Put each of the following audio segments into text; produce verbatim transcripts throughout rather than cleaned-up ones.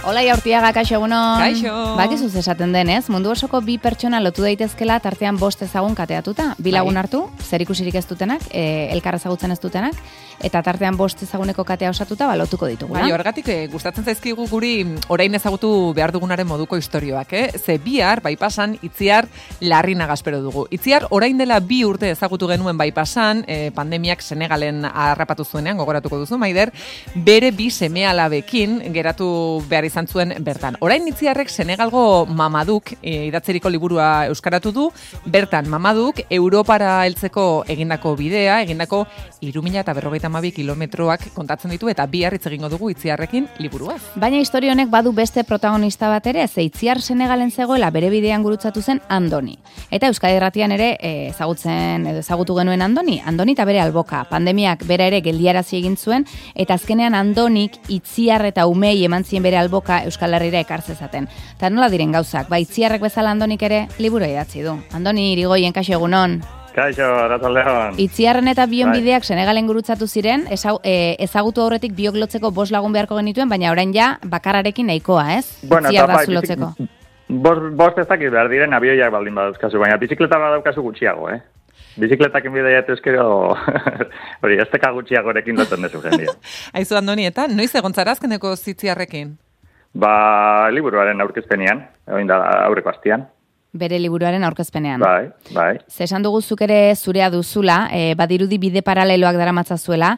Hola, Jaurtiaga, kaixo egunon. Kaixo. Bakizuz esaten denez, mundu osoko bi pertsona lotu daitezkela tartean bost ezagun kateatuta. Bi lagun hartu, zer ikusirik ez dutenak, e, elkar ezagutzen ez dutenak, eta tartean bost ezaguneko katea osatuta ba, lotuko ditugu. Bai, horregatik eh, gustatzen zaizkigu guri orain ezagutu behar dugunaren moduko istorioak, eh? Ze bihar, baipasan, Itziar Larrinaga espero dugu. Itziar orain dela bi urte ezagutu genuen baipasan, eh, pandemiak Senegalen harrapatu zuenean, gogoratuko duzu, Maider, bere bi seme-alabekin geratu behar izan zuen bertan. Orain Itziarrek Senegalgo Mamaduk e, idatzeriko liburua euskaratu du, bertan Mamaduk Europara heltzeko egindako bidea, egindako hiru mila berrogeita hamabi kilometroak kontatzen ditu eta bihar hitz egingo dugu Itziarrekin liburuaz. Baina historia honek badu beste protagonista bat ere, ze Itziar Senegalen zegoela bere bidean gurutzatu zen Andoni. Eta Euskadi Irratian ere e, ezagutzen edo ezagutu genuen Andoni, Andoni eta bere alboka. Pandemiak bera ere geldiarazi egin zuen eta azkenean Andonik Itziar eta umei eman zien bere alboka Euskal Herrira ekartzezaten. Ta nola diren gauzak? Ba, Itziarrek bezala Andonik ere liburu idatzi du. Andoni Irigoyen, kaixo egunon. Kaixo, arratsaldeon. Itziarren eta bion bideak Senegalen gurutzatu ziren, ezau, e, ezagutu aurretik biok lotzeko bost lagun beharko genituen, baina orain ja bakarrarekin nahikoa, ez? Bueno, Itziar eta bai, bazu lotzeko. Bost, bost ez dakit behar diren abioiak baldin badauzkazu, baina bizikleta badaukazu gutxiago, eh? Bizikletakin bidea ezkero hori, ez teka gutxiagorekin lotzen dezu jendia. Aizu Andoni, eta noiz egon zara azkeneko Itziarrekin? Ba, liburuaren aurkezpenean, egin da aurreko astian. Bere liburuaren aurkezpenean. Bai, bai. Ze esan dugu zuk ere zurea duzula, e, badirudi bide paraleloak daramatzazuela.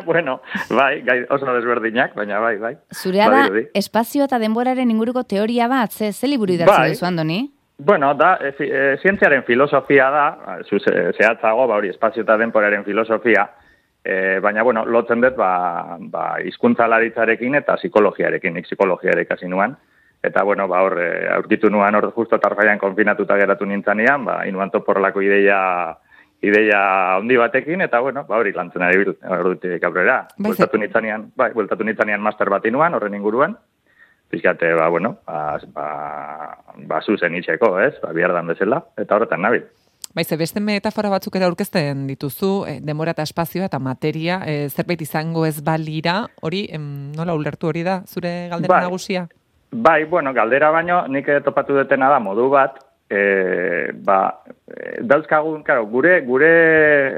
Bueno, bai, gai oso desberdinak, baina bai, bai. Zurea da, espazio eta denboraren inguruko teoria bat, ze, ze liburu idatzi bai. duzu, Andoni? Bueno, da, e, e, zientziaren filosofia da, zu zehatzago, ba hori, espazio eta denboraren filosofia, e, baina, bueno, lotzen dut, ba, ba hizkuntzalaritzarekin eta psikologiarekin, nik psikologia ere ikasi nuan. Eta, bueno, ba, hor, aurkitu nuan hor justo tarfaian konfinatuta geratu nintzanean, ba, inuan toporlako ideia, ideia handi batekin, eta, bueno, ba, hori lantzen ari bil, ordutik aurrera. Bueltatu nintzanean, bai, bueltatu nintzanean master bat inuan, horren inguruan, pizkate, ba, bueno, ba, ba, ba zuzen itxeko, ez, ba, bihardan bezala, eta horretan nabil. Baize, beste metafora batzuk ere aurkezten dituzu, e, demora eta espazioa eta materia, e, zerbait izango ez balira, hori, em, nola ulertu hori da, zure galdera bai. nagusia? Bai, bueno, galdera baino, nik topatu detena da modu bat, e, ba, e, dauzkagun, claro, gure, gure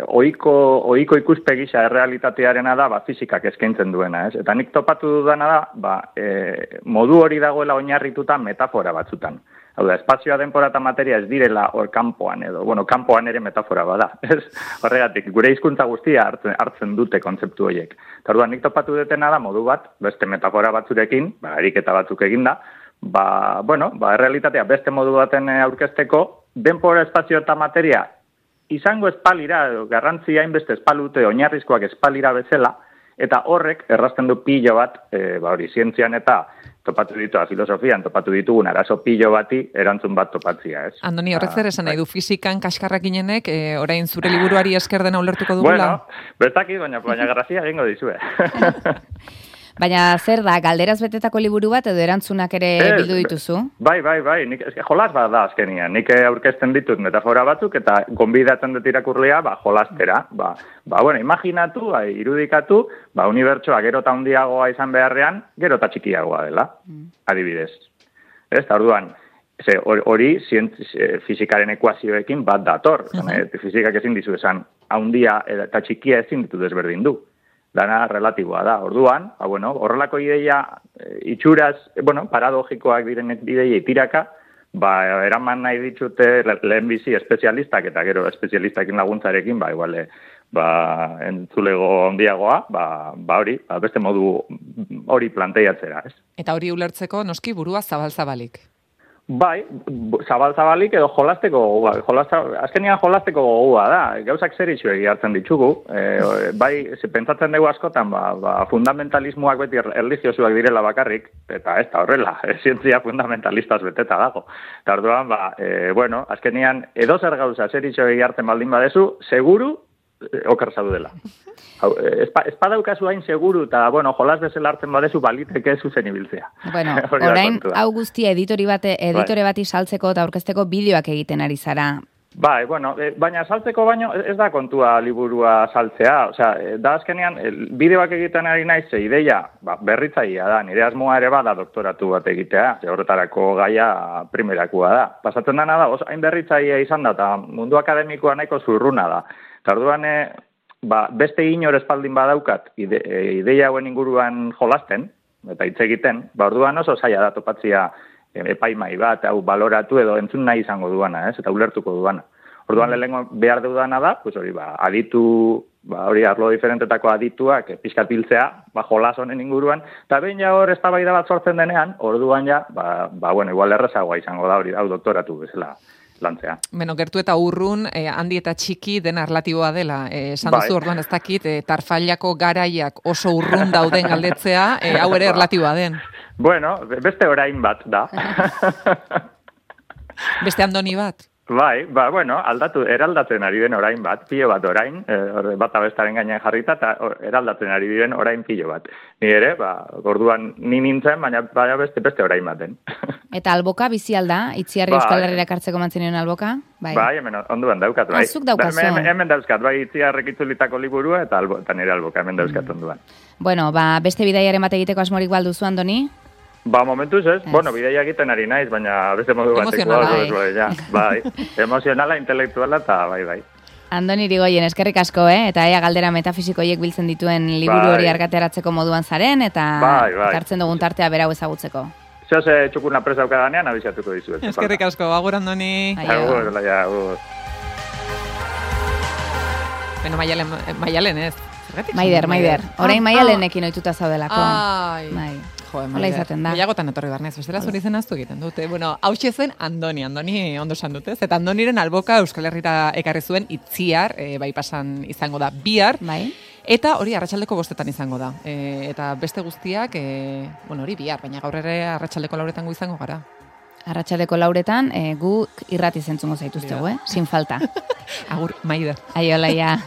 oiko, oiko ikuspegisa errealitatearena da, ba, fisikak eskaintzen duena, ez? Eta nik topatu dudana da, ba, e, modu hori dagoela oinarrituta metafora batzutan. Hau da, espazioa, denbora eta materia ez direla hor kanpoan edo, bueno, kanpoan ere metafora bada, ez? Horregatik, gure hizkuntza guztia hartzen, hartzen dute kontzeptu horiek. Eta orduan, nik topatu detena da modu bat, beste metafora batzurekin, ba, ariketa batzuk eginda, ba, bueno, ba, errealitatea beste modu baten aurkezteko, denbora, espazio eta materia izango espalira, garrantzia hainbeste espalute, oinarrizkoak espalira bezala, eta horrek errazten du pilo bat, e, ba, hori, zientzian eta topatu ditu, filosofian topatu ditugun arazo pilo bati erantzun bat topatzia, ez? Andoni, horrek zer esan nahi du fizikan kaskarrak inenek, e, orain zure liburuari esker dena ulertuko dugula? Bueno, bezaki, baina, baina grazia egingo dizue. Baina zer da, galderaz betetako liburu bat edo erantzunak ere ez, bildu dituzu? Bai, bai, bai, nik, eske, jolas bat da azkenian, nik aurkezten ditut metafora batzuk eta gonbidatzen dut irakurlea, ba, jolastera, ba, ba, bueno, imaginatu, ba, irudikatu, ba, unibertsoa gero eta handiagoa izan beharrean, gero eta txikiagoa dela, mm. adibidez. Ez, eta orduan, hori fizikaren ekuazioekin bat dator, uh-huh. e, fizikak ezin dizu esan, handia eta txikia ezin ditu desberdin du. Dana relatiboa da. Orduan, ba, bueno, horrelako ideia e, itxuraz, e, bueno, paradogikoak diren ideia itiraka, ba, eraman nahi ditute lehen bizi espezialistak eta gero espezialistakin laguntzarekin, ba, igual, ba, entzulego handiagoa, ba, ba hori, ba, beste modu hori planteiatzera, ez? Eta hori ulertzeko, noski burua zabal-zabalik. Bai, zabal-zabalik edo jolasteko gogoa. Jolasta, azkenean jolasteko gogoa da. Gauzak zer itxuegi hartzen ditugu. E, bai, pentsatzen dugu askotan, ba, ba, fundamentalismoak beti erlijiosuak direla bakarrik, eta ez da horrela, zientzia fundamentalistaz beteta dago. Eta orduan, ba, e, bueno, azkenean edo zer gauza zer itxuegi hartzen baldin badezu, seguru oker zaudela. Espadaukazu hain seguru eta, bueno, jolas bezala hartzen badezu baliteke zuzen ibiltzea. Bueno, orain hau guztia editori bate, editore bati saltzeko eta aurkezteko bideoak egiten ari zara. Bai, bueno, e, baina saltzeko baino ez da kontua liburua saltzea, osea, da azkenean bideoak egiten ari naiz, ze ideia ba, berritzailea da, nire asmoa ere bada doktoratu bat egitea, ze horretarako gaia primerakua da. Pasatzen dana da, oso hain berritzailea izan da, eta mundu akademikoa nahiko zurruna da. Eta orduan, e, ba, beste inor espaldin badaukat ide, e, ideia hauen inguruan jolasten, eta hitz egiten, ba, orduan oso zaila da topatzia epaimai bat, hau baloratu edo entzun nahi izango duana, ez? Eta ulertuko duana. Orduan lehenengo behar deudana da, pues hori, ba, aditu, ba, hori arlo diferentetako adituak pixkat biltzea, ba, jolas honen inguruan, eta behin ja hor eztabaida bat sortzen denean, orduan ja, ba, ba bueno, igual errazagoa izango da hori, hau doktoratu bezala lantzea. Beno, gertu eta urrun, eh, handi eta txiki dena relatiboa dela. Eh, esan duzu Bai. orduan ez dakit, eh, tarfailako garaiak oso urrun dauden galdetzea, eh, hau ere relatiboa den. Bueno, beste orain bat da. Beste Andoni bat. Bai, ba, bueno, aldatu, eraldatzen ari den orain bat, pilo bat orain, eh, bata bestaren gainean jarrita, eta eraldatzen ari diren orain pilo bat. Ni ere, ba, orduan ni nintzen, baina, baina beste, beste orain baten. Eta alboka bizi alda, Itziarri Bai. Euskal Herriera kartzeko mantzenion alboka? Bai, Bai, hemen onduan daukat, bai. Ah, zuk daukazu. Hemen, hemen dauzkat, bai, Itziarrek itzulitako liburua, eta, albo, eta nire alboka hemen dauzkat onduan. Bueno, ba, beste bidaiaren bat egiteko asmorik balduzu, Andoni? Ba, momentuz ez, Ez. bueno, bideia egiten ari naiz, baina beste modu bateko. Emozionala, hau, bai. ja, bai, emozionala, intelektuala, eta bai, bai. Andoni Irigoyen, eskerrik asko, eh? Eta ea galdera metafisikoiek biltzen dituen liburu Bai. hori argateratzeko moduan zaren, eta Bai, bai. ekartzen dugun tartea berau ezagutzeko. Zeo ze txukuna presa daukadanean, abizatuko dizuet. Eskerrik asko, agur Andoni. Aio. Agur, laia, agur. Beno, maialen, maialen ez. Zergatik Maider, esan Maider. Ah, Orain ah. maialenekin ohituta zaudelako. Ai. Bai. Jo, Hola izaten da. Gehiagotan etorri barnez, bestela zuri zen aztu egiten dute. Bueno, hause zen Andoni, Andoni ondo esan dute. Eta Andoniren alboka Euskal Herrira ekarri zuen Itziar, e, bai pasan izango da bihar. Bai. Eta hori arratsaldeko bostetan izango da. E, eta beste guztiak, e, bueno, hori bihar, baina gaur ere arratsaldeko lauretan gu izango gara. Arratsaldeko lauretan, eh, gu irrati zentzungo zaituztegu, eh? Sin falta. Agur, Maider. Aio, laia.